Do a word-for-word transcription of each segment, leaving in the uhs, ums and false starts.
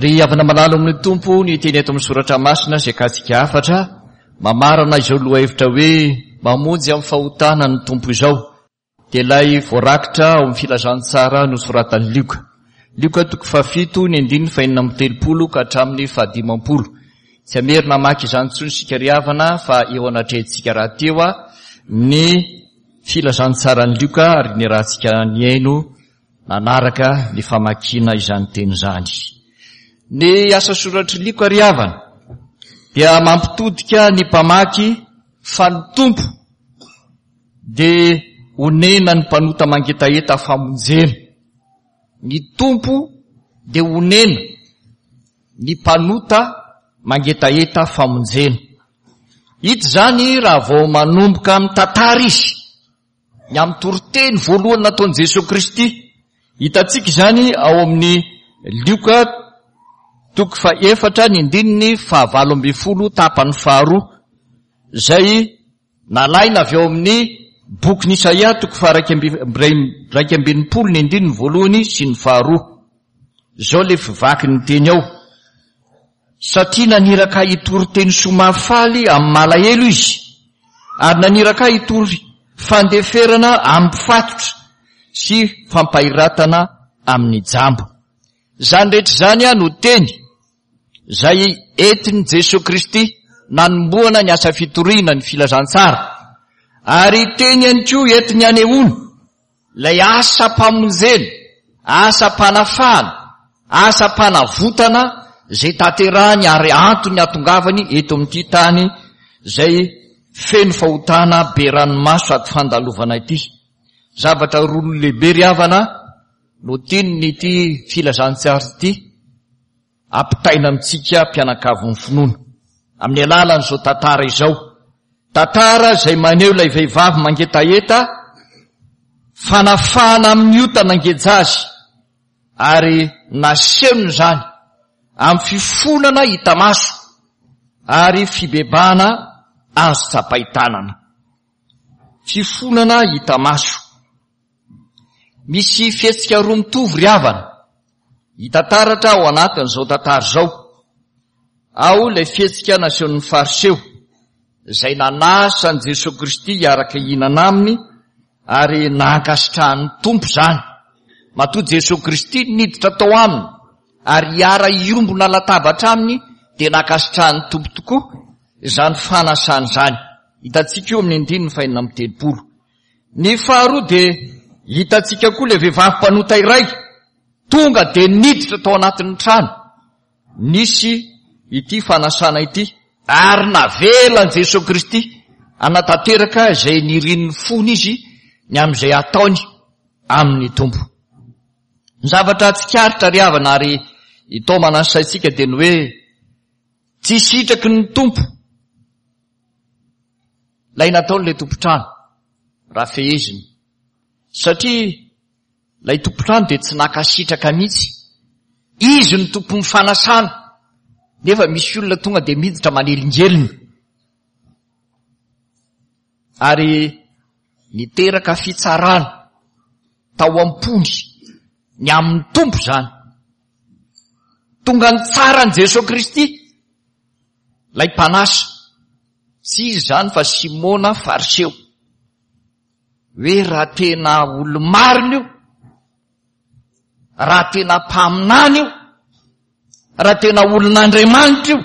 Ry havana malala amin'ny Tompo, ny teny eto amin'ny soratra masina izay katsika hafatra mamarana izao lohahevitra hoe mamonjy amin'ny fahotana ny Tompo izao dia ilay voarakitra ao amin'ny filazantsara nosoratan'i Lioka. Lioka toko fahafito ny andininy fahenina amby telopolo ka hatramin'ny fahadimampolo. Tsy hamerina hamaky izany intsony isika ry havana fa eo anatrehantsika rahateo ny filazantsaran'i Lioka ary niarahantsika nihaino nanaraka ny famakiana izany teny izany. Ny asa soratr'i Lioka ry havana dia mampitodika ny mpamaky fa ny Tompo dia onena ny mpanota mangetaheta famonjena. Ny Tompo dia onena ny mpanota mangetaheta famonjena. Hita izany raha vao manomboka mitantara izy ny amin'ny toriteny voalohany nataon'i Jesoa Kristy. Hitantsika izany ao amin'ny Lioka toko fahaefatra ny andininy fahavalo ambin'ny folo tapany faharoa izay nalaina avy ao amin'ny bokin'i Isaia toko faha-iraika amby enimpolo ny andininy voalohany sy ny faharoa. Izao ilay fivaky ny teny ao. Satria naniraka ahy hitory teny soa mahafaly amin'ny malahelo izy, ary naniraka ahy hitory fandeferana amin'ny mpifatotra sy fampahiratana amin'ny jamba. Izany rehetra izany no teny izay entin'i Jesoa Kristy nanombohana ny asa fitoriana ny filazantsara, ary teny ihany koa entiny hanehoana ilay asam-pamonjena, asam-panafahana, asam-panavotana izay tanterahany ary antony hatongavany eto amin'ity tany izay feno fahotana be ranomaso ady fandalovana ity. Zavatra roa lehibe ry havana no tian'ity filazantsara ity ampitaina amintsika mpianakavin'ny finoana amin'ny alalan'izao tantara izao. Tantara izay maneho ilay vehivavy mangetaheta fanafahana amin'ny ota nangeja azy ary nasehony izany amin'ny fifonana hita maso ary fibebahana azo tsapain-tanana. Fifonana hita maso. Misy fihetsika roa mitovy ry havana hita taratra ao anatin'izao tantara izao. Ao ilay fihetsika nasehon'ny Fariseo izay nanasa an'i Jesoa Kristy hiaraka hihinana aminy ary nankasitrahan'ny Tompo izany. Matoa Jesoa Kristy niditra tao aminy ary hiara-hiombona latabatra aminy dia nankasitrahan'ny Tompo tokoa izany fanasana izany. Hitantsika io amin'ny andininy fahenina amby telopolo. Ny faharoa dia hitantsika koa ilay vehivavy mpanota iray tonga dia niditra tao anatin'ny trano nisy ity fanasana ity ary navelan'i Jesoa Kristy hanatanteraka izay nirin'ny fony izy ny amin'izay ataony amin'ny Tompo. Ny zavatra tsikaritra ry havana ary itaomana ny saintsika dia ny hoe tsy sitraky ny Tompo ilay nataon'ilay tompon-trano raha feheziny, satria ilay tompon-trano dia tsy nankasitraka mihitsy. Izy no tompon'ny fanasana, nefa misy olona tonga dia miditra manelingelina ary niteraka fitsarana tao am-pony ny amin'ny Tompo izany. Tonga nitsara an'i Jesoa Kristy ilay mpanasa, tsy izy izany fa Simona Fariseo, hoe raha tena olo-marina io, raha tena mpaminany io, raha tena olon'Andriamanitra io,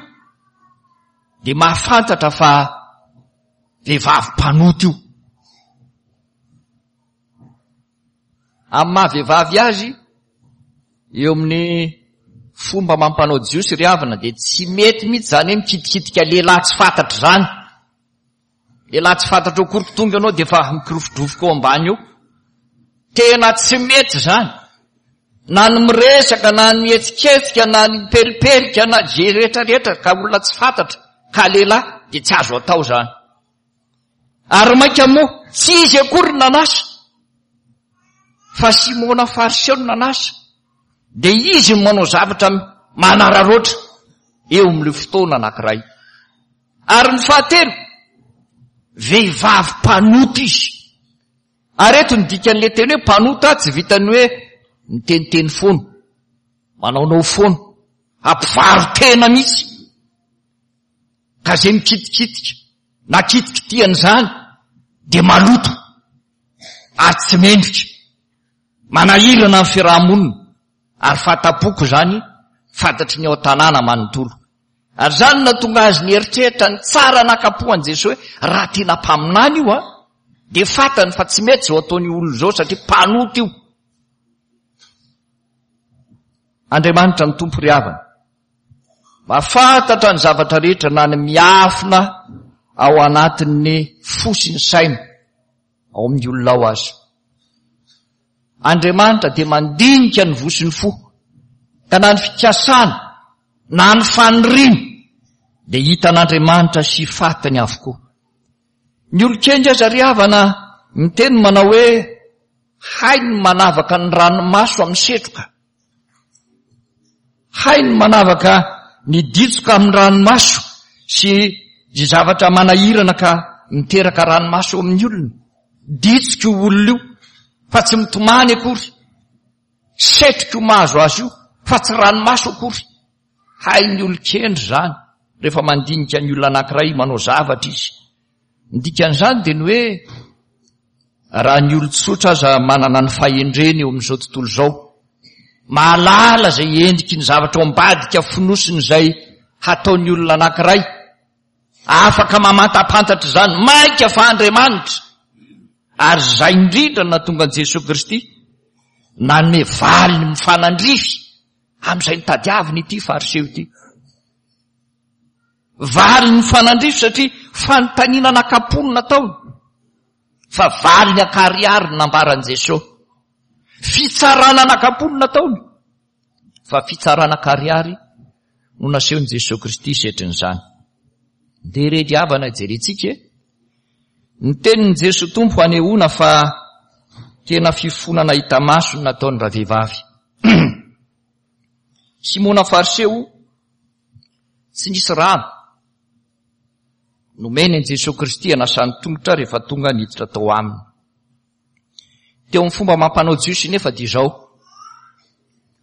dia mahafantatra fa vehivavy mpanota io. Amin'ny maha vehivavy azy, eo amin'ny fomba mampanao jiosy ry havana dia tsy mety mihitsy izany hoe mikitikitika lehilahy tsy fantatra izany. Lehilahy tsy fantatra ao akory tonga ianao dia efa mikirofodrofoka ao ambany eo. Tena tsy mety izany. Na ny miresaka, na ny mihetsiketsika, na ny mipelipelika, na izay rehetra rehetra ka olona tsy fantatra ka lehilahy dia tsy azo atao izany. Ary mainka moa tsy izy akory no nanasa fa Simona Fariseo no nanasa, dia izy no manao zavatra manararaotra eo amin'ilay fotoana anankiray. Ary ny fahatelo, vehivavy mpanota izy. Ary eto ny dikan'ilay teny hoe mpanota tsy vitan'ny hoe miteniteny foana, manaonao foana, Ampivaro-tena mihitsy. Ka izay mikitikitika na kitikitihan'izany dia maloto ary tsy mendrika. Manahirana ny fiarahamonina ary fata-poko izany fantatry ny ao an-tanàna manontolo. Ary izany no nahatonga azy nieritreritra ny tsara nakapohan'i Jesoa hoe raha tena mpaminany io a, dia fantany fa tsy mety izao ataon'io olona izao satria mpanota io. Andriamanitra ny Tompo ry havana, mahafantatra ny zavatra rehetra na ny miafina ao anatin'ny fo sy ny saina ao amin'ny olona ao aza. Andriamanitra dia mandinika ny voa sy ny fo, ka na ny fikasana na ny faniriana dia hitan'Andriamanitra sy fatany avokoa. Ny olon-kendry aza ry havana miteny manao hoe hainy ny manavaka ny ranomaso amin'ny setroka. Hainy ny manavaka ny ditsoka amin'ny ranomaso sy izay zavatra manahirana ka miteraka ranomaso eo amin'ny olona. Ditsoka io olona io fa tsy mitomany akory. Setroka io mahazo azy io fa tsy ranomaso akory. Hain'ny olon-kendry izany rehefa mandinika ny olona anankiray manao zavatra izy. Ny dikan'izany dia ny hoe raha ny olon-tsotra aza manana ny fahendreny eo amin'izao tontolo izao, mahalala izay endriky ny zavatra ao ambadika fonosiny izay hataon'ny olona anankiray, afaka mamantapantatra izany, mainka fa Andriamanitra. Ary izay indrindra no nahatonga an'i Jesoa Kristy nanome valiny mifanandrify amin'izay nitadiaviny ity Fariseo ity. Valiny mifanandrify satria fanontaniana anakam-po no nataony, fa valiny ankarihary no nambaran'i Jesoa. Fitsarana anakam-po no nataony, fa fitsarana ankarihary no nasehon'i Jesoa Kristy setrin'izany. Dia re ry havana jerentsika e, ny tenin'i Jesoa Tompo hanehoana fa tena fifonana hita maso no nataony ravehivavy. Simona Fariseo tsy nisy rano nomeny an'i Jesoa Kristy hanasany tongotra rehefa tonga niditra tao aminy. Teo amin'ny fomba mampanao Jiosy nefa dia izao,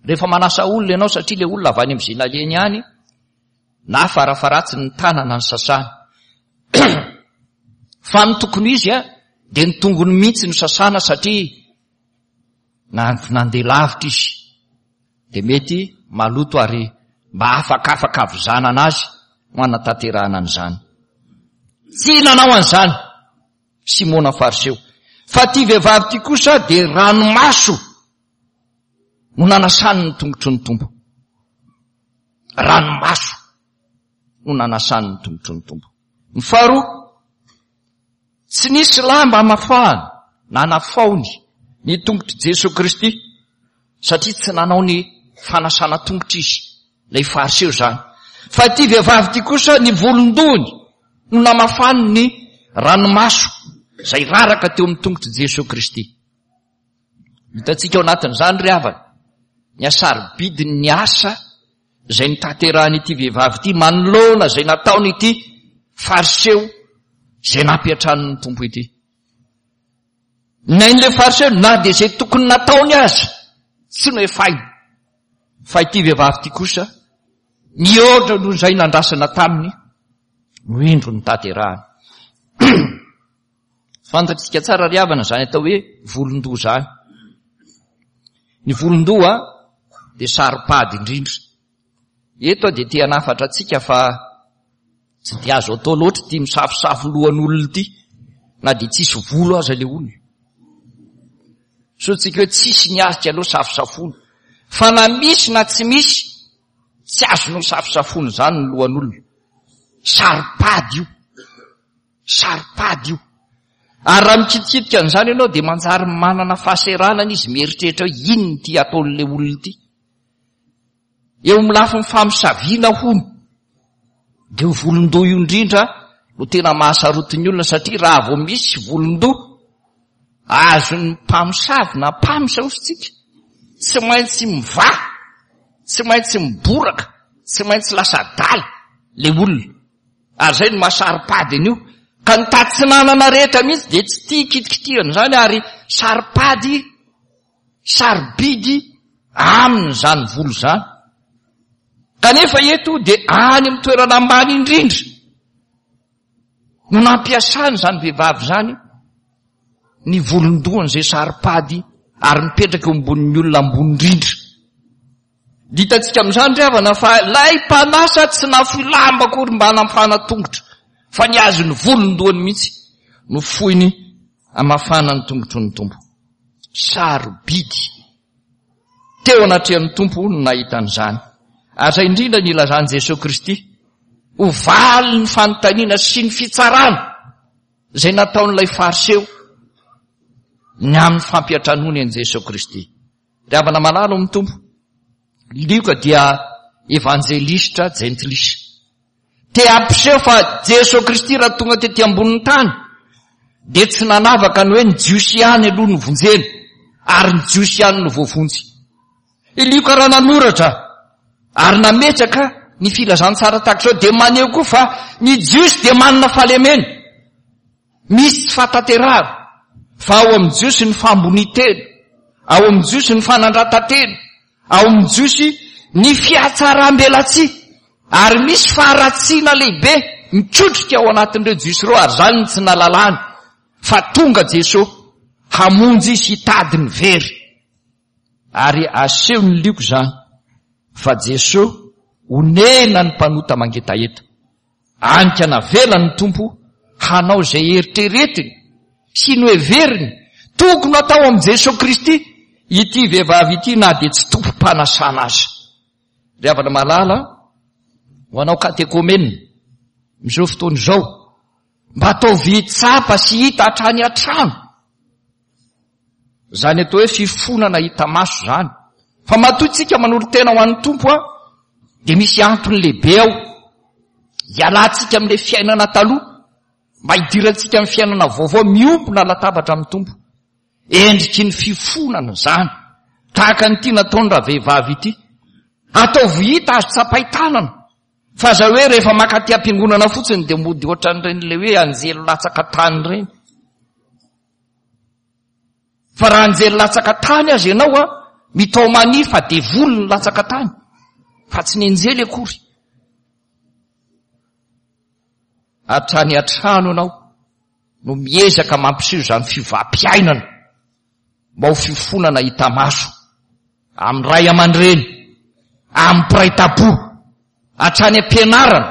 rehefa manasa olona ianao satria ilay olona avy any amin'izay nalehany ihany, na farafaratsy ny tanana ny sasany. Fa ny tokony izy a, dia ny tongony mihitsy no sasana satria nandeha lavitra izy, dia mety maloto ary mba afakafaka havizanana azy no hanatanterahana an'izany. Tsy nanao an'izany Simona Fariseo, fa ity vehivavy ity kosa dia ranomaso no nanasany ny tongotry ny Tompo. Ranomaso no nanasany ny tongotry ny Tompo. Ny faharoa, tsy nisy lamba hamafahany na nafaony ny tongotr'i Jesoa Kristy satria tsy nanao ny fanasana tongotra izy, ilay Fariseo izany. Fa ity vehivavy ity kosa ny volon-dohany no namafany ny ranomaso izay raraka teo amin'ny tongotr'i Jesoa Kristy. Hitantsika ao anatin'izany ry havana, ny hasarobidin'ny asa izay notanterahan'ity vehivavy ity manoloana izay nataon'ity Fariseo izay nampiantranon'ny Tompo ity. Nain'ilay Fariseo na dia izay tokony nataony aza tsy noefainy. Fa ity vehivavy ity kosa mihoatra noho izay nandrasana taminy no indro notanterahany. Fantatsika tsara ry havana izany atao hoe volon-doha izany. Ny volon-doha dia saro-pady indrindra. Eto aho dia te hanafatra antsika fa tsy dia azo atao loatra ity misafosafo lohan'olona ity, na dia tsisy volo aza ilay olona. Sao tsika hoe tsisy ny azy aloha safosafoana. Fa na misy na tsy misy, tsy azonao safosafoana izany ny lohan'olona. Saro-pady io. Saro-pady io. Ary raha mikitikitika an'izany ianao dia manjary manana fahaseranana izy mieritreritra hoe inona ity ataon'ilay olona ity. Eo amin'ny lafiny famosaviana hono, dia io volon-doha io indrindra no tena mahasarotin'ny olona, satria raha vao misy volon-doha azon'ny mpamosavy na mpamsa hoy isika, tsy maintsy mivaha, tsy maintsy miboraka, tsy maintsy lasa adala ilay olona. Ary izay no mahasaro-pady an'io. Ka ny tatsinanana rehetra mihitsy dia tsy tia kitikitihana izany, ary saro-pady, sarobidy aminy izany volo izany. Kanefa eto dia any amin'ny toerana ambany indrindra no nampiasany izany vehivavy izany ny volon-dohany izay saro-pady ary mipetraka eo ambonin'ny olona ambony indrindra. Hitantsika amin'izany ry havana fa ilay mpanasa tsy nafoy lamba akory mba hanafana tongotra, fa ny azy ny volon-dohany mihitsy no foiny hamafana ny tongotry ny Tompo. Sarobidy teo anatrehan'ny Tompo no nahita an'izany. Ary izay indrindra ny ilazan'i Jesoa Kristy ho valin'ny fanontaniana sy ny fitsarana izay nataon'ilay Fariseo ny amin'ny fampiantranoany an'i Jesoa Kristy. Ry havana malala ao amin'ny Tompo, Lioka dia evanjelistra jentilisa. Te hampiseho fa Jesoa Kristy raha tonga tety ambonin'ny tany dia tsy nanavaka ny hoe ny Jiosy ihany aloha no vonjena ary ny Jiosy ihany no voavonjy. I Lioka raha nanoratra ary nametraka ny filazantsara tahaka izao dia maneho koa fa ny Jiosy dia manana fahalemena, misy tsy fahatanterahana, fa ao amin'ny Jiosy ny fahambonian-tena, ao amin'ny Jiosy ny fanandratan-tena, ao amin'ny Jiosy ny fihatsaram-belatsihy, ary misy faharatsiana lehibe mikotrika ao anatin'ireo Jiosy ireo, ary izany no tsy nahalalany fa tonga Jesoa hamonjy sy hitady ny very. Ary asehon'ny Lioka izany fa Jesoa onena ny mpanota mangetaheta. Anika navelany ny Tompo hanao izay eritreretiny sy noheveriny tokony hatao amin'i Jesoa Kristy ity vehivavy ity na dia tsy tompom-panasana aza. Ry havana malala, ho anao katekomena amin'izao fotoana izao, mba ataovy tsapa sy hita hatrany an-trano izany atao hoe fifonana hita maso izany. Fa matoa isika manolo-tena ho an'ny Tompo a, dia misy antony lehibe ao hialantsika amin'ilay fiainana taloha mba hidirantsika amin'ny fiainana vaovao miombona latabatra amin'ny Tompo. Endriky ny fifonana izany, tahaka an'ity nataony ravehivavy ity. Ataovy hita azo tsapain-tanana, fa aza hoe rehefa maka aty am-piangonana fotsiny dia mody ohatran'ireny ilay hoe anjely latsaka tany ireny. Fa raha anjely latsaka tany aza ianao a, mitaomania fa devoly ny latsaka tany, fa tsy ny anjely akory. Hatrany an-trano ianao no miezaka mampiseho izany fiovam-piainana mba ho fifonana hita maso amin'ny ray aman-dreny, amin'ny mpiray tampo, hatrany am-pianarana,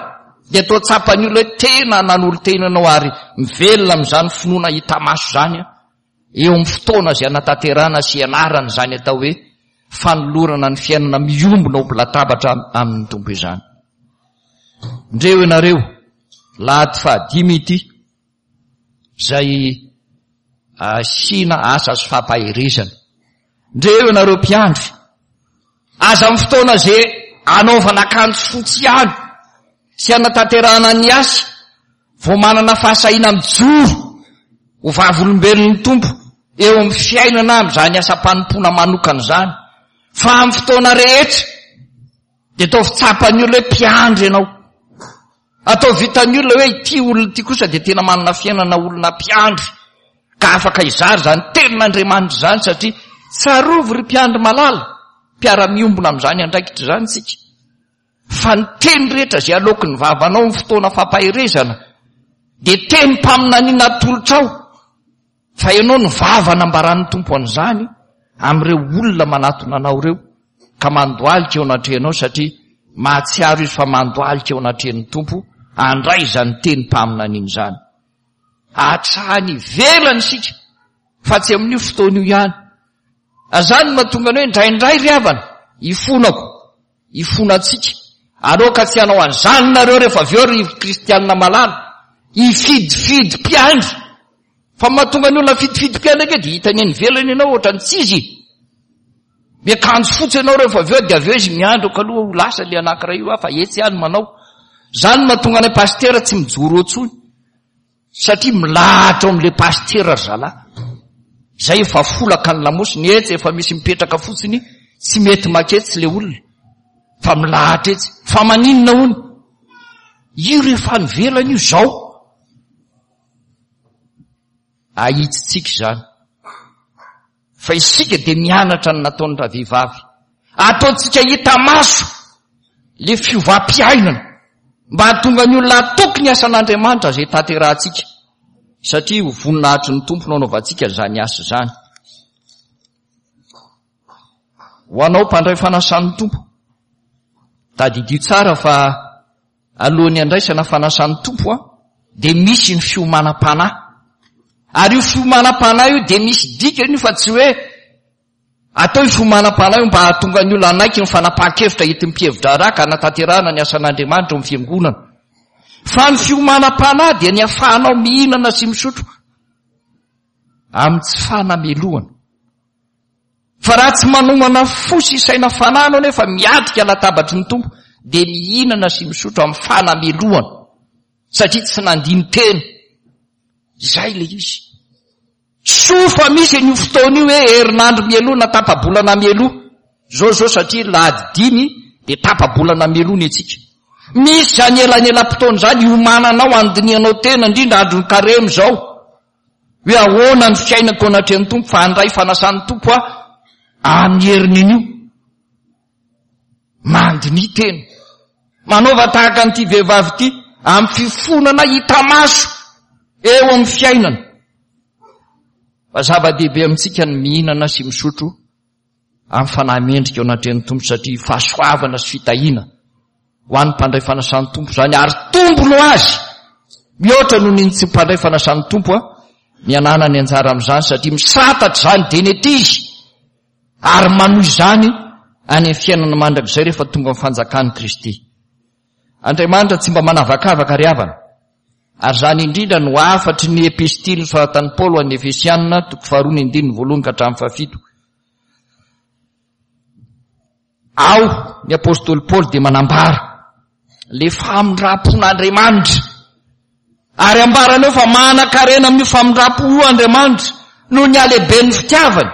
dia atao tsapan'ny olona hoe tena nanolo-tena ianao ary mivelona amin'izany finoana hita maso izany eo amin'ny fotoana izay anatanterahana sy ianarana izany atao hoe fanolorana ny fiainana miombona ho latabatra amin'ny Tompo izany. Ndreo ianareo, lahady fahadimy ity, izay asiana asa sy fampaherezana. Ndreo ianareo mpiandry, aza amin'ny fotoana izay anaovana akanjo fotsy ihany sy anatanterahana ny asa vao manana fahasahiana mijoro ho vavolombelon'ny Tompo eo amin'ny fiainana amin'izany asam-panompoana manokana izany, fa amin'ny fotoana rehetra dia ataovy tsapan'ny olona hoe mpiandry ianao. Ataovy hitan'ny olona hoe ity olona ity kosa dia tena manana fiainana olona mpiandry ka afaka hizara izany tenin'Andriamanitra izany, satria tsarovy ry mpiandry malala, mpiara-miombona amin'izany andraikitra izany isika, fa ny teny rehetra izay aloaky ny vavanao amin'ny fotoana fampaherezana dia tenim-paminaniana atolotrao, fa ianao no vava nambaran'ny Tompo an'izany amin'ireo olona manatona anao ireo ka mandohalika eo anatrehanao, satria mahatsiaro izy fa mandohalika eo anatrehan'ny Tompo handray izany tenim-paminaniana izany. Hatrany ivelany isika fa tsy amin'io fotoana io ihany. Izany no mahatonga ny hoe indraindray ry havana ifonako, ifonantsika. Aloka tsy hanao an'izany nareo rehefa avy eo ry kristianina malala, hifidifidy mpiandry. Fa mahatonga ny olona fidifidy mpiandry ange dia hitany eny ivelany ianao ohatran'ny tsy izy. Miakanjo fotsy ianao rehefa avy eo dia avy eo izy miandry eo kaloha ho lasa le anankiray io fa etsy ihany manao. Izany no mahatonga anay pasitera tsy mijoro eo intsony. Satria milahatra ao amin'ilay pasitera ry zalahy. Izay efa folaka ny lamosiny, etsy efa misy mipetraka fotsiny, tsy mety maketsy ilay olona. Fa milahatra etsy. Fa maninona hono? Io rehefa any ivelany io izao. Ahitsitsika izany. Fa isika dia mianatra ny nataon'ny ravehivavy. Ataontsika hita maso Le fiovam-piainana mba hahatonga ny olona hatoky ny asan'Andriamanitra izay tanterahantsika, satria ho voninahitry ny Tompo no anaovantsika izany asa izany. Ho anao mpandray fanasan'ny Tompo, tadidio tsara fa alohan'ny handraisana fanasan'ny Tompo dia misy ny fiomanam-panahy. Ary io fiomanam-panahy io dia misy dikany io fa tsy hoe atao io fiomanam-panahy io mba hahatonga ny olona hanaiky ny fanapahan-kevitra entin'ny mpihevi-draharaha ka hanatanterahana ny asan'Andriamanitra ao amin'ny fiangonana. Fa ny fiomanam-panahy dia ny ahafahanao mihinana sy misotro amin'ny tsy fanamelohana. Fa raha tsy manomana fo sy saina fanahy anao nefa miatrika latabatry ny Tompo, dia mihinana sy misotro amin'ny fanamelohana, satria tsy nandini-tena. Izay ilay izy. Soa fa misy an'io fotoana io hoe herinandro mialoha na tapa-bolana mialoha. Izao izao satria lahady dimy dia tapa-bolana mialoha ny antsika. Misy izany elanelam-potoana izany hiomananao, handinihanao tena, indrindra andron'ny karemy izao. Hoe ahoana ny fiainako anatrehan'ny Tompo, fa handray fanasan'ny Tompo aho amin'ny heriny anio. Mandiniha tena. Manaova tahaka an'ity vehivavy ity amin'ny fifonana hita maso eo amin'ny fiainana. Fa zava-dehibe amintsika ny mihinana sy misotro amin'ny fanahy mendrika eo anatrehan'ny Tompo, satria fahasoavana sy fitahiana ho an'ny mpandray fanasan'ny Tompo izany, ary tombony ho azy mihoatra noho ny tsy mpandray fanasan'ny Tompo a, ny ananany anjara amin'izany, satria misantatra izany dia ny ety izy ary manohy izany any amin'ny fiainana mandrakizay rehefa tonga amin'ny fanjakan'i Kristy. Andriamanitra tsy mba manavakavaka ry havana, ary izany indrindra no hafatry ny epistily nosoratan'i Paoly ho an'ny Efesiana, toko faharoa ny andininy voalohany ka hatramin'ny fahafito. Ao ny apostoly Paoly dia manambara le famindram-pon'Andriamanitra, ary ambarany eo fa manan-karena amin'io famindram-po io Andriamanitra noho ny halehiben'ny fitiavany,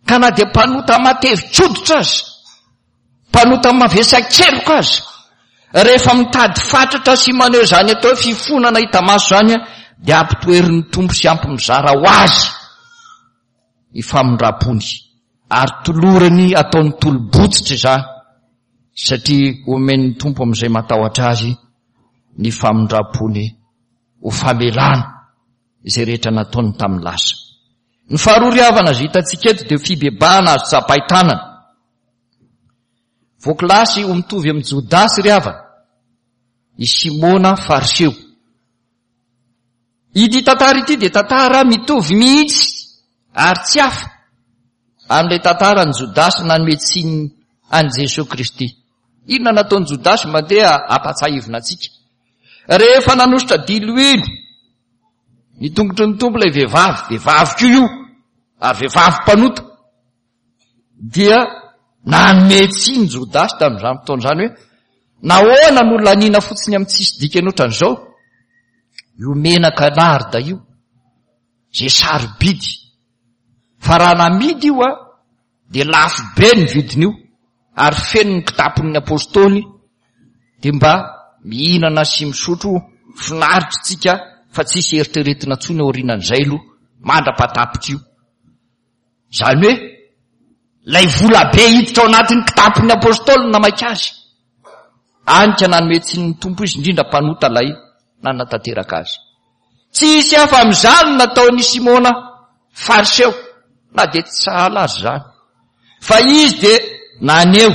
ka na dia mpanota matevin-koditra aza, mpanota mavesa-keloka aza, rehefa mitady fatratra sy maneho izany atao hoe fifonana hita maso izany, dia ampitoherin'ny Tompo sy ampy mizara ho azy ny famindram-pony, ary tolorany ataony tolo-botsitra izany, satria omen'ny Tompo amin'izay matahotra azy ny famindram-pony ho famelana izay rehetra nataony tamin'ny lasa. Ny faharoa ry havana izay hitantsika eto dia fibebahana azo tsapain-tanana. Voakilasy ho mitovy amin'i Jodasy ry havana i Simona Fariseo. Ity tantara ity dia tantara mitovy mihitsy ary tsy hafa amin'ilay tantaran'i Jodasy nanome tsiny an'i Jesoa Kristy. Inona nataon'i Jodasy? Mandeha hampatsiahivina antsika. Rehefa nanosotra diloilo ny tongotry ny Tompo ilay vehivavy, vehivavy koa io, ary vehivavy mpanota, dia nanome tsiny Jodasy tamin'izany fotoana izany hoe nahoana no laniana fotsiny amin'ny tsisy dikany ohatran'izao io menaka narda io, izay sarobidy, fa raha namidy io a dia lafo be ny vidin'io, ary feno ny kitapon'ny apôstôly, dia mba mihinana sy misotro finaritra tsika fa tsisy eritreretina intsony aorianan'izay aloha mandra-pahatapitra io. Izany hoe ilay vola be hiditra ao anatin'ny kitapon'ny apôstôly no namaika azy. Any ka nanome tsiny ny Tompo izy, indrindra mpanota ilay nanatanteraka azy. Tsy hisy hafa amin'izany no nataon'i Simona Fariseo, na dia tsy sahala azy izany. Fa izy dia naneho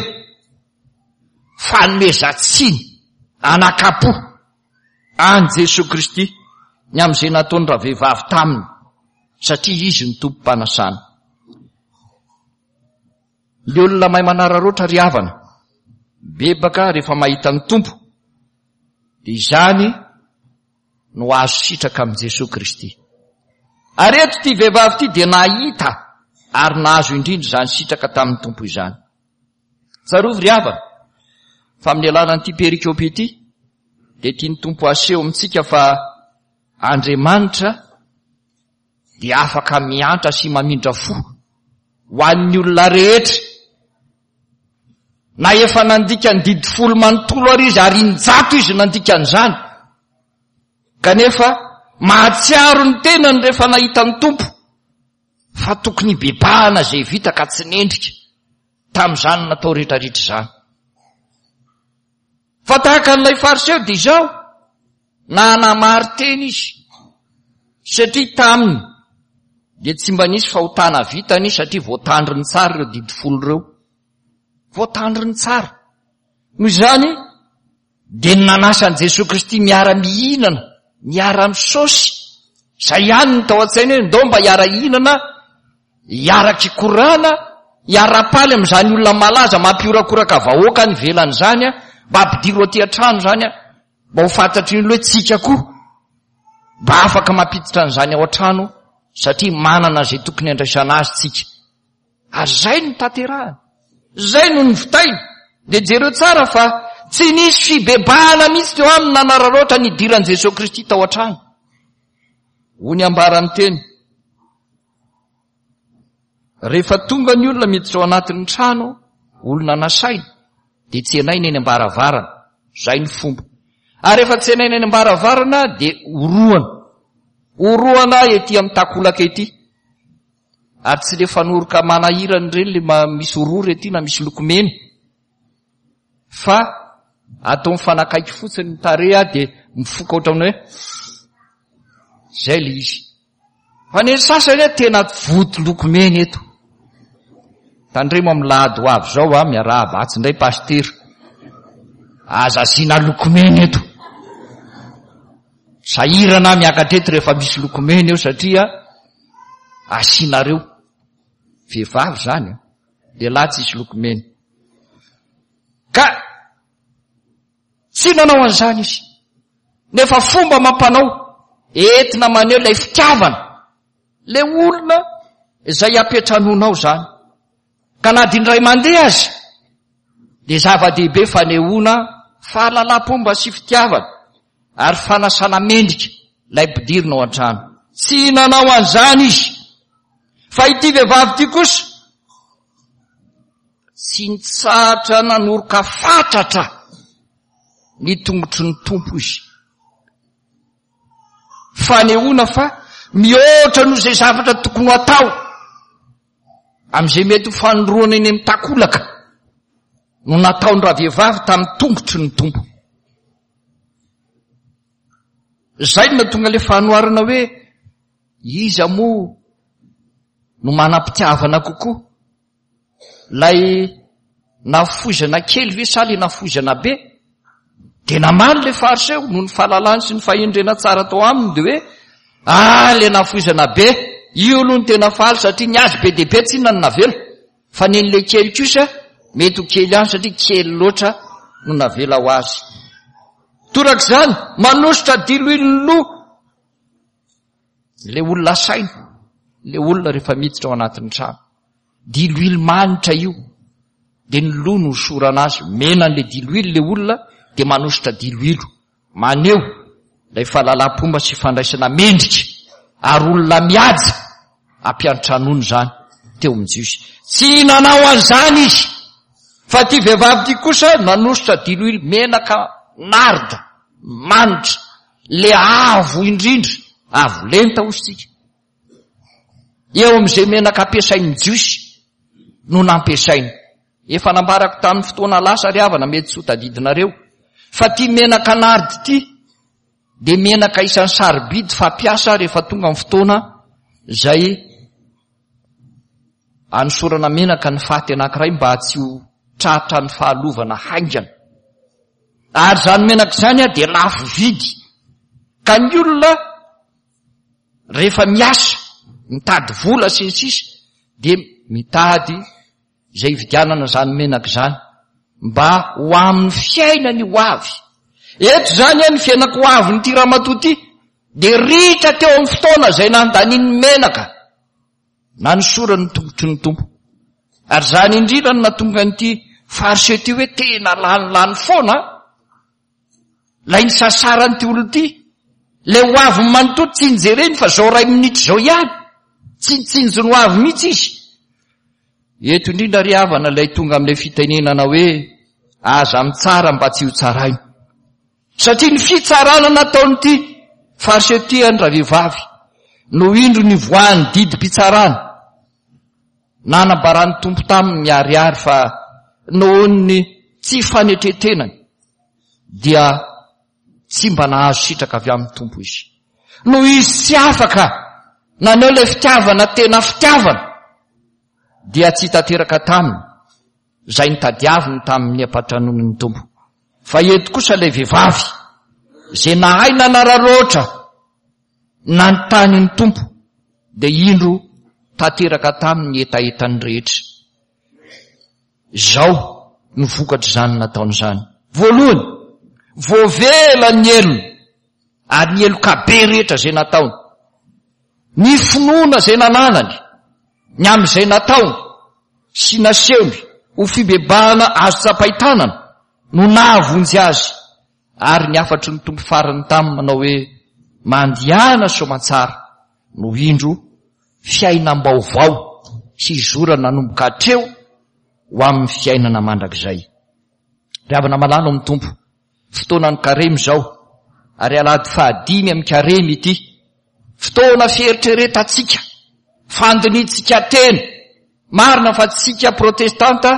fanomezan-tsiny anakam-po an'i Jesoa Kristy ny amin'izay nataony ravehivavy taminy, satria izy no tompom-panasana. Ny olona mahay manararaotra ry havana, bebaka rehefa mahita ny Tompo, dia izany no azo sitraka amin'i Jesoa Kristy. Ary eto ity vehivavy ity dia nahita ary nahazo indrindra izany sitraka tamin'ny Tompo izany. Tsarovy ry havana fa amin'ny alalan'ity perikope ity dia tian'ny Tompo haseho amintsika fa Andriamanitra dia afaka miantra sy mamindra fo ho an'ny olona rehetra, na efa nandika ny didy folo manontolo ary izy, ary injato izy nandika an'izany, kanefa mahatsiaro ny tenany rehefa nahita ny Tompo fa tokony hibebahana izay vita ka tsy nendrika tamin'izany natao rehetrarehetra izany. Fa tahaka an'ilay Fariseo dia izao, nanamari-tena izy, satria taminy dia tsy mba nisy fahotana vitany, satria voatandriny tsara ireo didy folo ireo. Voatandriny tsara. Noho izany dia ny nanasa an'i Jesoa Kristy miara-mihinana, miara-misaosy, izay ihany no tao an-tsainy hoe ndao mba hiara-hihinana, hiara-kikorana, hiara-paly amin'izany olona malaza mampiorakoraka vahoaka any ivelany izany, mba ampidiro aty an-trano izany, mba ho fantatry ny olona hoe tsika koa mba afaka mampiditra an'izany ao an-trano, satria manana izay tokony handraisana azy tsika. Ary izay no tanterahany, izay no nivitainy. Dia jereo tsara fa tsy nisy fibebahana mihitsy teo aminy nanararaotra ny hidiran'i Jesoa Kristy tao an-trano. Hoy ny ambaran'ny teny, rehefa tonga ny olona miditra ao anatin'ny trano, olona nasaina, dia tsenaina eny am-baravarana. Izay ny fomba. Ary rehefa tsenaina eny am-baravarana dia orohana. Orohana ety amin'ny takolaka ety. Ary tsy le fanoroka manahirana ireny le ma-, misy orora ety na misy loko mena. Fa atao mifanakaiky fotsiny ny tarehy dia mifoka ohatran'ny hoe zay le izy. Fa ny sasany hoe tena voto loko mena eto. Tandremo amin'ny lahady ho avy izao, a, miarahaba atsy indray pasitera. Aza asiana loko mena eto. Sahirana miakatra eto rehefa misy loko mena eo, satria asianareo vehivavy zany, a. Lehilahy tsisy loko mena. Ka tsy nanao an'izany izy. Nefa fomba mampanao entina maneho ilay fitiavana. Le olona izay ampetranonao zany. Ka na dia indray mandeha aza dia zava-dehibe fanehoana fahalalam-pomba sy fitiavana ary fanasana mendrika ilay mpidirina ao an-trano. Tsy nanao an'izany izy. Fa ity vehivavy ity kosa tsy nitsahatra nanoroka fatratra ny tongotry ny Tompo izy. Fanehoana fa mihoatra noho izay zavatra tokony ho atao amin'izay mety ho fanoroana eny amin'ny takolaka no nataony ravehivavy tamin'ny tongotry ny Tompo. Izay no nahatonga ilay fanoharana hoe iza moa no manam-pitiavana kokoa, lay nafoizana kely ve sa le nafoizana be? Dia namaly le Fariseo noho ny fahalalany sy ny fahendrena tsara tao aminy dia hoe ah, le nafoizana be io aloha no tena faly satria ny azy be dia be tsy inona no navela, fa ny an'ilay kely kosa mety ho kely ihany satria kely loatra no navela ho azy. Torak'izany manositra diloilo loha le olona asaina, le olona rehefa miditra ao anatin'ny trano. Diloilo manitra io, dia ny loha no hosorana azy, mena an'le diloilo le olona dia manositra diloilo, maneho ilay fahalalam-pomba sy fandraisana mendrika ary olona mihaja ampiantranony izany teo amin'ny Jiosy. Tsy nanao an'izany izy, fa ity vehivavy ity kosa nanositra diloilo menaka narda manitra, le avo indrindra, avo lenta hoy isika. Eo amin'izay menaka ampiasain'ny Jiosy no nampiasainy. Efa nambarako tamin'ny fotoana lasa ry havana, mety tsy ho tadidinareo, fa ity menaka narda ity dia menaka isan'ny sarobidy fampiasa rehefa tonga amin'ny fotoana izay anosorana menaka ny faty anankiray mba tsy ho tratra ny fahalovana haingana. Ary izany menaka izany dia lafo vidy, ka ny olona rehefa miasa mitady vola sy ny sisa dia mitady izay hividianana izany menaka izany mba ho amin'ny fiainany ho avy. Eto izany ny fiainako ho avin'ity ramatoa ity dia ritra teo amin'ny fotoana izay nandaniany menaka nanosorany ny tongotry ny Tompo. Ary izany indrindra no nahatonga an'ity Fariseo ity hoe tena lanilany foana lay nisasaran'ity olona ity, lay ho avy manontolo tsy nijereny fa zao ray minitra izao ihany, tsy nitsinjo ny ho avy mihitsy izy. Eto indrindra ry havana ilay tonga amin'ilay fitenenana hoe aza mitsara mba tsy ho tsaraina, satria ny fitsarana nataon'ity Fariseo ity any ravehivavy no indro nivoahan'ny didim-pitsarana nanambaran'ny Tompo taminy miharihary fa noho ny tsy fanetretenany dia tsy mba nahazo sitraka avy amin'ny Tompo izy. Noho izy tsy afaka naneho ilay fitiavana tena fitiavana, dia tsy tanteraka taminy izay nitadiaviny tamin'ny ampatranon'ny Tompo. Fa eto kosa ilay vehivavy izay nahay nanararaotra nanontany ny Tompo, dia indro tanteraka taminy ny hetahetany rehetra. Izao no vokatr'izany nataon'izany. Voalohany, voavela ny helony ary ny heloka be rehetra izay nataony. Ny finoana izay nananany, ny amin'izay nataony sy nasehony ho fibebahana azo tsapain-tanana no nahavonjy azy, ary ny hafatry ny Tompo farany taminy manao hoe mandehana soamantsara no indro fiainam-baovao sy izorana nanomboka hatreo ho amin'ny fiainana mandrakizay. Ry havana malala ao amin'ny Tompo, fotoanan'ny karemy izao, ary alahady fahadimy amin'ny karemy ity, fotoana fieritreretantsika, fandinihintsika tena. Marina fa tsika protestanta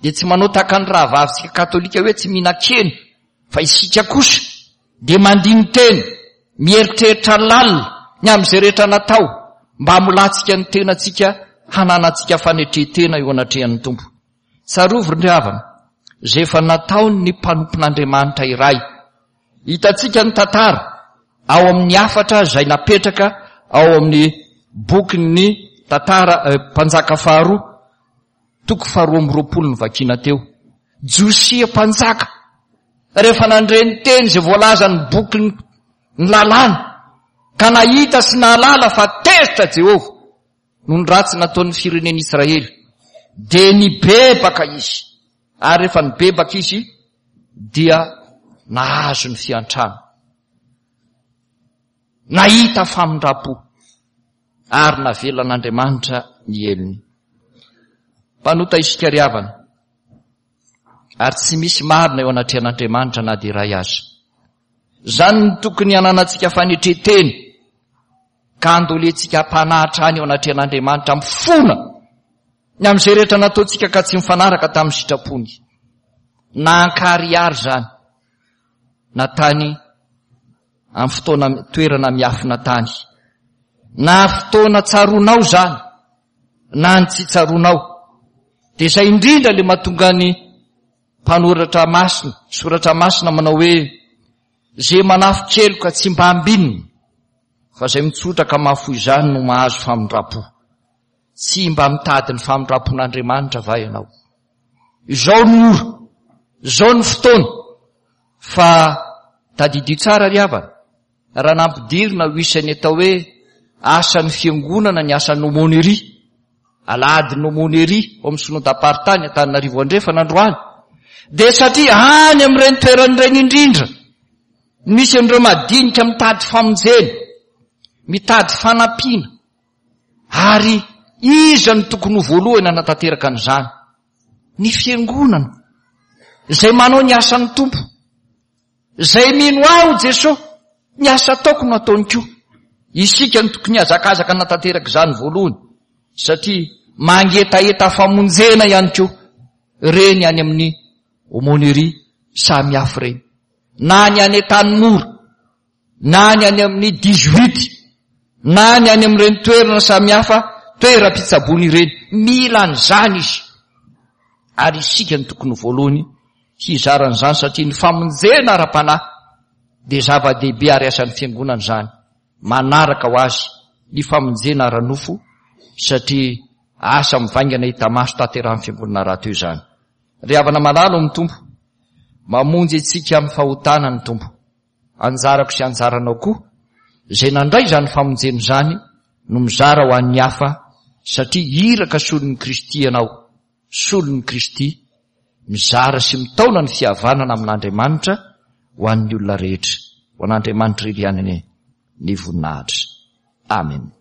dia tsy manao tahaka ny rahavavintsika katolika hoe tsy mihinan-kena, fa isika kosa dia mandini-tena, mieritreritra lalina ny amin'izay rehetra natao mba hamolantsika ny tenantsika, hananantsika fanetren-tena eo anatrehan'ny Tompo. Tsarovy ry havana izay efa nataon'ny mpanompon'Andriamanitra iray. Hitantsika ny tantara ao amin'ny hafatra izay napetraka ao amin'ny bokin'ny tantara, eh, mpanjaka faharoa, toko faharoa amby roapolo ny vakina teo. Josia mpanjaka, rehefa nandre ny teny izay voalazan'ny bokin'ny lalàna, ka nahita sy nahalala fa tezitra Jehovah noho ny ratsy nataon'ny firenen'Israely, dia nibebaka izy. Ary rehefa nibebaka izy dia nahazo ny fiantrana, nahita famindram-po, ary navelan'Andriamanitra ny helony. Mpanota isika ry havana, ary tsy misy marina eo anatrehan'Andriamanitra na dia iray aza. Izany no tokony hananantsika fanetren-tena, ka andolentsika am-panahy hatrany eo anatrehan'Andriamanitra mifona ny amin'izay rehetra nataontsika ka tsy mifanaraka tamin'ny sitrapony. Na ankarihary izany, na tany amin'ny fotoana toerana miafina tany, na fotoana tsaroanao izany, na ny tsy tsaroanao. Dia izay indrindra ilay mahatonga ny mpanoratra masina, soratra masina manao hoe izay manafin-keloka tsy mba ambinina, fa izay mitsotra ka mahafoy izany no mahazo famindram-po. Tsy mba mitady ny famindram-pon'Andriamanitra va ianao? Izao ny ora, izao ny fotoana, fa tadidio tsara ry havana, raha nampidirina ho isan'ny atao hoe asan'ny fiangonana ny asan'ny aumônerie, alahadin'ny aumônerie ao amin'ny synodam-paritany Antananarivo Andrefana androany, dia satria any amin'ireny toerana ireny indrindra misy an'ireo madinika mitady famonjena, mitady fanampiana, ary iza no tokony ho voalohany hanatanteraka an'izany? Ny fiangonana izay manao ny asan'ny Tompo, izay mino aho Jesosy, ny asa ataoko no ataony koa. Isika no tokony hazakazaka hanatanteraka izany voalohany, satria mangetaheta famonjena ihany koa ireny any amin'ny aumônerie samy hafa ireny, na ny any Antanimora, na ny any amin'ny dix-huit, na ny any amin'ireny toerana samy hafa toeram-pitsaboana ireny. Mila an'izany izy, ary isika no tokony voalohany hizara an'izany, satria ny famonjena ara-panahy dia zava-dehibe ary asan'ny fiangonana izany, manaraka ho azy ny famonjena ara-nofo, satria asa mivaingana hita maso tanterahan'ny fiangonana rahateo izany. Ry havana malala ao amin'ny Tompo, mamonjy antsika amin'ny fahotana ny Tompo. Anjarako sy anjaranao koa, izay nandray izany famonjena izany no mizara ho an'ny hafa, satria iraka solon'i Kristy ianao, solon'i Kristy, mizara sy mitaona ny fihavanana amin'Andriamanitra ho an'ny olona rehetra. Ho an'Andriamanitra irery ihany anie ny voninahitra. Amen.